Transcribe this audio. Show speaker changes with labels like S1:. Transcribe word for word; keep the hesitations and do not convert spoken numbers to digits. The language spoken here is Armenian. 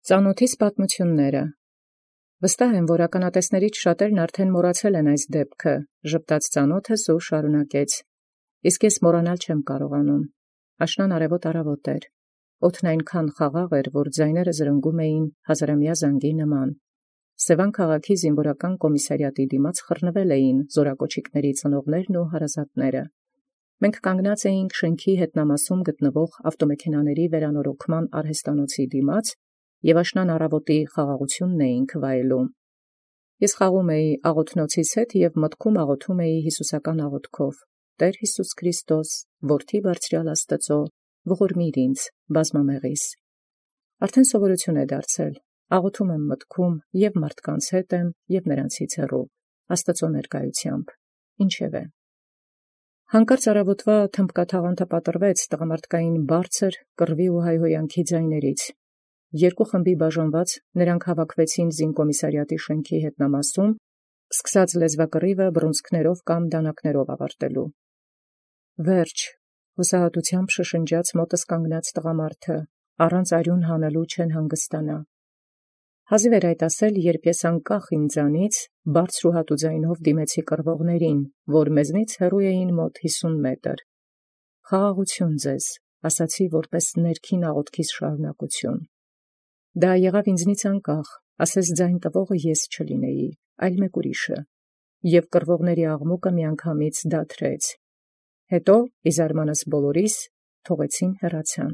S1: Ծանաւթիս պատմութիւնները վստահ եմ, որ ականատեսացն շատերն արդեն մոռացել են այս դեպքը, ժպտաց ծանաւթս և շարունակեց. իսկ ես մոռանալ չեմ կարողանում. աշնան արևոտ առավոտ էր. օդն այնքան խաղաղ էր, որ ձայները զրնգում էին հազարամյա զանգի նման. Սևան քաղաքի զինվորական կոմիսարիատի դիմաց խռնվել էին զորակոչիկների ծնողներն ու հարազատները. Մենք կանգնած էինք շենքի հետնամասում գտնվող ավտոմեքենաների վերանորոգման արհեստանոցի դիմաց և աշնան առավոտի խաղաղութիւնն էինք վայելում. Ես խաղում էի աղոթնոցիս հետ և մտքում աղոթում էի հիսուսական աղոթքով. «Տէր Յիսուս Քրիստոս, որդի բարձրեալ Աստուծոյ, ողորմիր ինձ, բազմամեղիս»։ Արդեն սովորութիւն է դարձել. աղոթում եմ մտքում և մարդկանց հետ եմ և նրանցից հեռու, Աստուծոյ ներկայութեամբ, ինչևէ։ Հանկարծ առավոտվա թմբկաթաղանթը պատռվեց տղամարդկային բարձր կռվի ու հայհոյանքի ձայներից. Երկու խմբի բաժանված նրանք հավաքվեցին զինկոմիսարիատի շենքի հետնամասում, սկսած լեզվակռիվը բռունցքներով կամ դանակներով ավարտելու։ Վերջ, հուսահատութեամբ շշնջաց մոտս կանգնած տղամարդը, առանց արյուն հանելու չեն հանգստանա։ Հազիվ էր այդ ասել, երբ ես անկախ ինձանից բարձր ու հատու ձայնով դիմեցի կռվողներին, որ մեզնից հեռու էին մոտ հիսուն մետր։ «Խաղաղութիւն ձեզ», ասացի որպես ներքին աղոթքիս շարունակութիւն։ Դա եղավ ինձնից անկախ, ասես ձայն տվողը ես չլինեի, այլ մեկ ուրիշը, և կռվողների աղմուկը միանգամից դադրեց. հետո ի զարմանս բոլորիս թողեցին հեռացան։